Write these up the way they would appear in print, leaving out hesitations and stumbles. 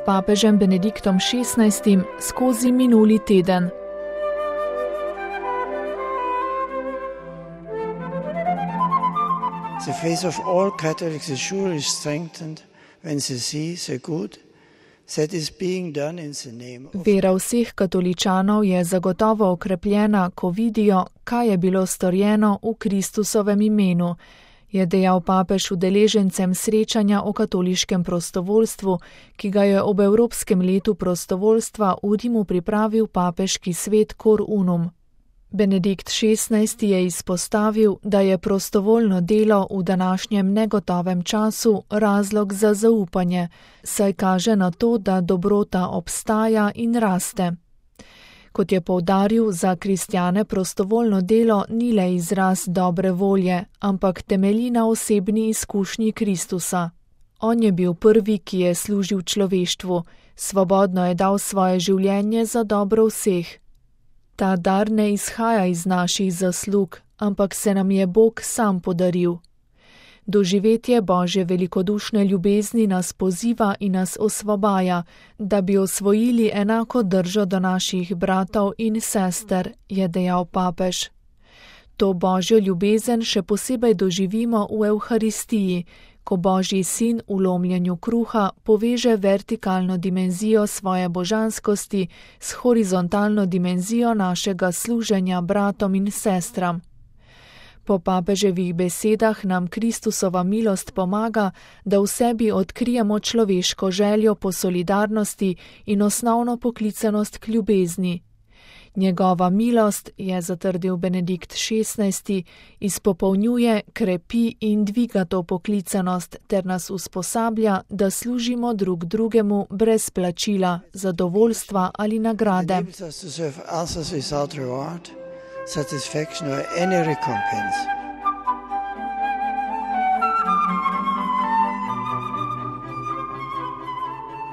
papežem Benediktom XVI skozi minuli teden. The faith of all Catholics is surely strengthened when they see the good that is being done in the name of. Vera vseh katoličanov je zagotovo okrepljena, ko vidijo, kaj je bilo storjeno v Kristusovem imenu, je dejal papež udeležencem srečanja o katoliškem prostovoljstvu, ki ga je ob Evropskem letu prostovoljstva v Rimu pripravil papeški svet Cor Unum. Benedikt XVI je izpostavil, da je prostovoljno delo v današnjem negotovem času razlog za zaupanje, saj kaže na to, da dobrota obstaja in raste. Kot je poudaril, za kristjane prostovoljno delo ni le izraz dobre volje, ampak temelji na osebni izkušnji Kristusa. On je bil prvi, ki je služil človeštvu, svobodno je dal svoje življenje za dobro vseh. Ta dar ne izhaja iz naših zaslug, ampak se nam je Bog sam podaril. Doživetje Božje velikodušne ljubezni nas poziva in nas osvobaja, da bi osvojili enako držo do naših bratov in sester, je dejal papež. To Božjo ljubezen še posebej doživimo v Evharistiji, ko Božji sin v lomljenju kruha poveže vertikalno dimenzijo svoje božanskosti s horizontalno dimenzijo našega služenja bratom in sestram. Po papeževih besedah nam Kristusova milost pomaga, da v sebi odkrijemo človeško željo po solidarnosti in osnovno poklicanost k ljubezni. Njegova milost, je zatrdil Benedikt XVI, izpopolnjuje, krepi in dviga to poklicanost ter nas usposablja, da služimo drug drugemu brez plačila, zadovoljstva ali nagrade. Satisfaction or any recompense.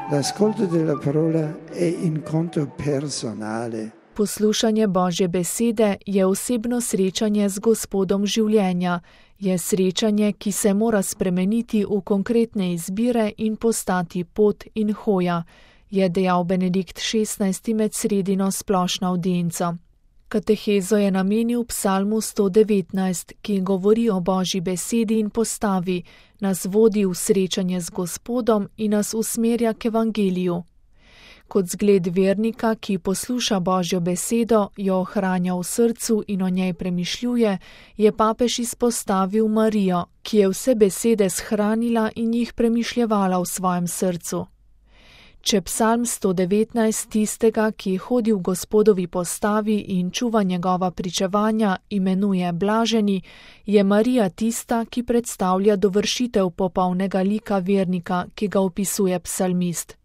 L'ascolto della parola è incontro personale. Poslušanje Božje besede je osebno srečanje z Gospodom življenja, je srečanje, ki se mora spremeniti v konkretne izbire in postati pot in hoja, je dejal Benedikt XVI med sredino splošno avdienco. Katehezo je namenil psalmu 119, ki govori o Božji besedi in postavi, nas vodi v srečanje z Gospodom in nas usmerja k evangeliju. Kot zgled vernika, ki posluša Božjo besedo, jo ohranja v srcu in o njej premišljuje, je papež izpostavil Marijo, ki je vse besede shranila in jih premišljevala v svojem srcu. Če psalm 119 tistega, ki hodi v Gospodovi postavi in čuva njegova pričevanja, imenuje blaženi, je Marija tista, ki predstavlja dovršitev popolnega lika vernika, ki ga opisuje psalmist.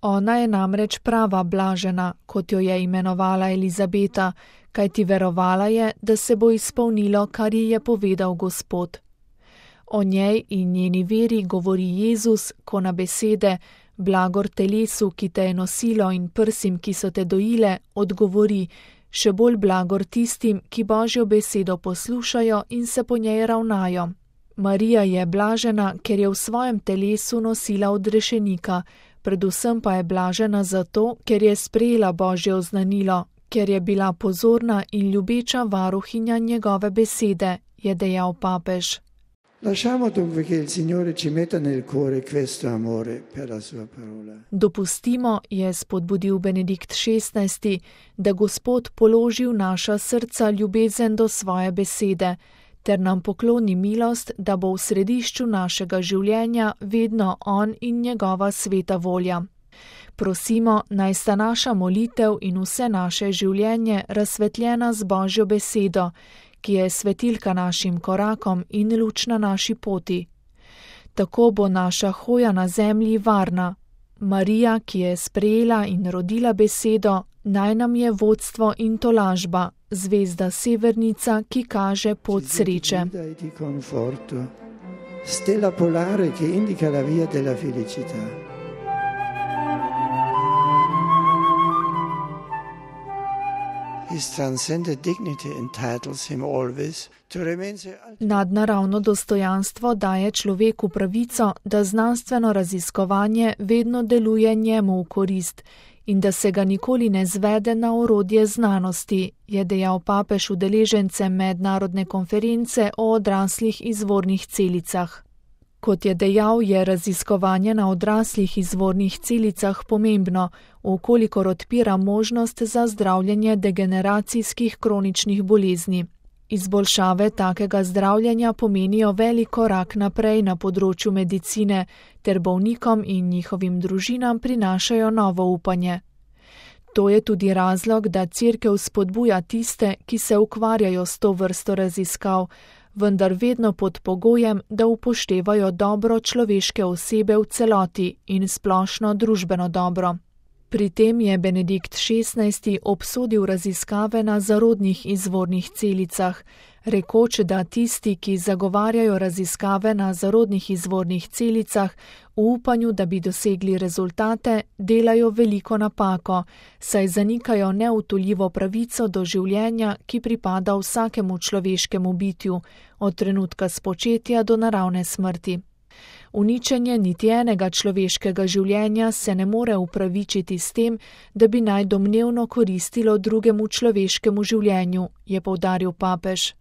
Ona je namreč prava blažena, kot jo je imenovala Elizabeta, kajti verovala je, da se bo izpolnilo, kar ji je povedal Gospod. O njej in njeni veri govori Jezus, ko na besede blagor telesu, ki te je nosilo in prsim, ki so te dojile, odgovori, še bolj blagor tistim, ki Božjo besedo poslušajo in se po njej ravnajo. Marija je blažena, ker je v svojem telesu nosila odrešenika, predvsem pa je blažena zato, ker je sprejela Božje oznanilo, ker je bila pozorna in ljubeča varuhinja njegove besede, je dejal papež. Lasciamo dunque che il Signore ci metta nel cuore questo amore per la sua parola. Dopustimo, je spodbudil Benedikt XVI, da Gospod položi v naša srca ljubezen do svoje besede, ter nam pokloni milost, da bo v središču našega življenja vedno On in njegova sveta volja. Prosimo, naj sta naša molitev in vse naše življenje razsvetljena z Božjo besedo, ki je svetilka našim korakom in luč na naši poti. Tako bo naša hoja na zemlji varna. Marija, ki je sprejela in rodila besedo, naj nam je vodstvo in tolažba, zvezda severnica, ki kaže pot sreče. Stella polare che indica la via della felicità. His transcendent dignity entitles him always to remain the Nadnaravno dostojanstvo daje človeku pravico, da znanstveno raziskovanje vedno deluje njemu v korist in da se ga nikoli ne zvede na orodje znanosti, je dejal papež udeležencem mednarodne konference o odraslih izvornih celicah. Kot je dejal, je raziskovanje na odraslih izvornih celicah pomembno, vkolikor odpira možnost za zdravljenje degeneracijskih kroničnih bolezni. Izboljšave takega zdravljenja pomenijo velik korak naprej na področju medicine, ter bolnikom in njihovim družinam prinašajo novo upanje. To je tudi razlog, da Cerkev spodbuja tiste, ki se ukvarjajo s to vrsto raziskav, vendar vedno pod pogojem, da upoštevajo dobro človeške osebe v celoti in splošno družbeno dobro. Pri tem je Benedikt XVI. Obsodil raziskave na zarodnih izvornih celicah, rekoč, da tisti, ki zagovarjajo raziskave na zarodnih izvornih celicah v upanju, da bi dosegli rezultate, delajo veliko napako, saj zanikajo neutoljivo pravico do življenja, ki pripada vsakemu človeškemu bitju, od trenutka spočetja do naravne smrti. Uničenje niti enega človeškega življenja se ne more upravičiti s tem, da bi naj domnevno koristilo drugemu človeškemu življenju, je poudaril papež.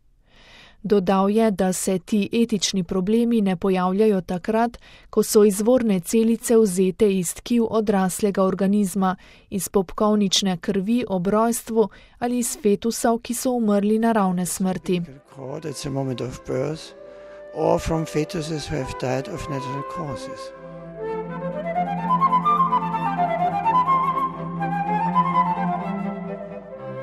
Dodal je, da se ti etični problemi ne pojavljajo takrat, ko so izvorne celice vzete iz tkiv odraslega organizma, iz popkovnične krvi ob rojstvu ali iz fetusov, ki so umrli naravne smrti. Or from fetuses who have died of natural causes.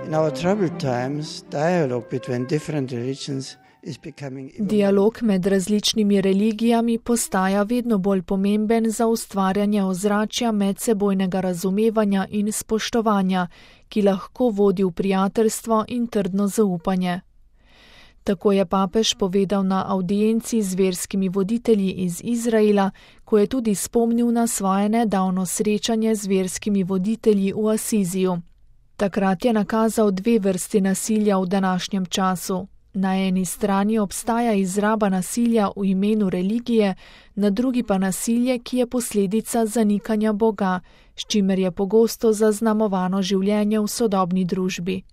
In our troubled times, dialogue between different religions is becoming Dialog med različnimi religijami postaja vedno bolj pomemben za ustvarjanje ozračja medsebojnega razumevanja in spoštovanja, ki lahko vodi v prijateljstvo in trdno zaupanje. Tako je papež povedal na avdienci z verskimi voditelji iz Izraela, ko je tudi spomnil na svoje nedavno srečanje z verskimi voditelji v Asiziju. Takrat je nakazal dve vrsti nasilja v današnjem času. Na eni strani obstaja izraba nasilja v imenu religije, na drugi pa nasilje, ki je posledica zanikanja Boga, s čimer je pogosto zaznamovano življenje v sodobni družbi.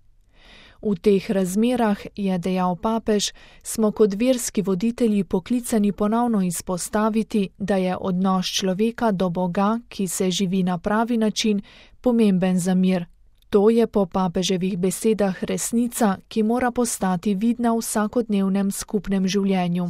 V teh razmerah, je dejal papež, smo kot verski voditelji poklicani ponovno izpostaviti, da je odnos človeka do Boga, ki se živi na pravi način, pomemben za mir. To je po papeževih besedah resnica, ki mora postati vidna v vsakodnevnem skupnem življenju.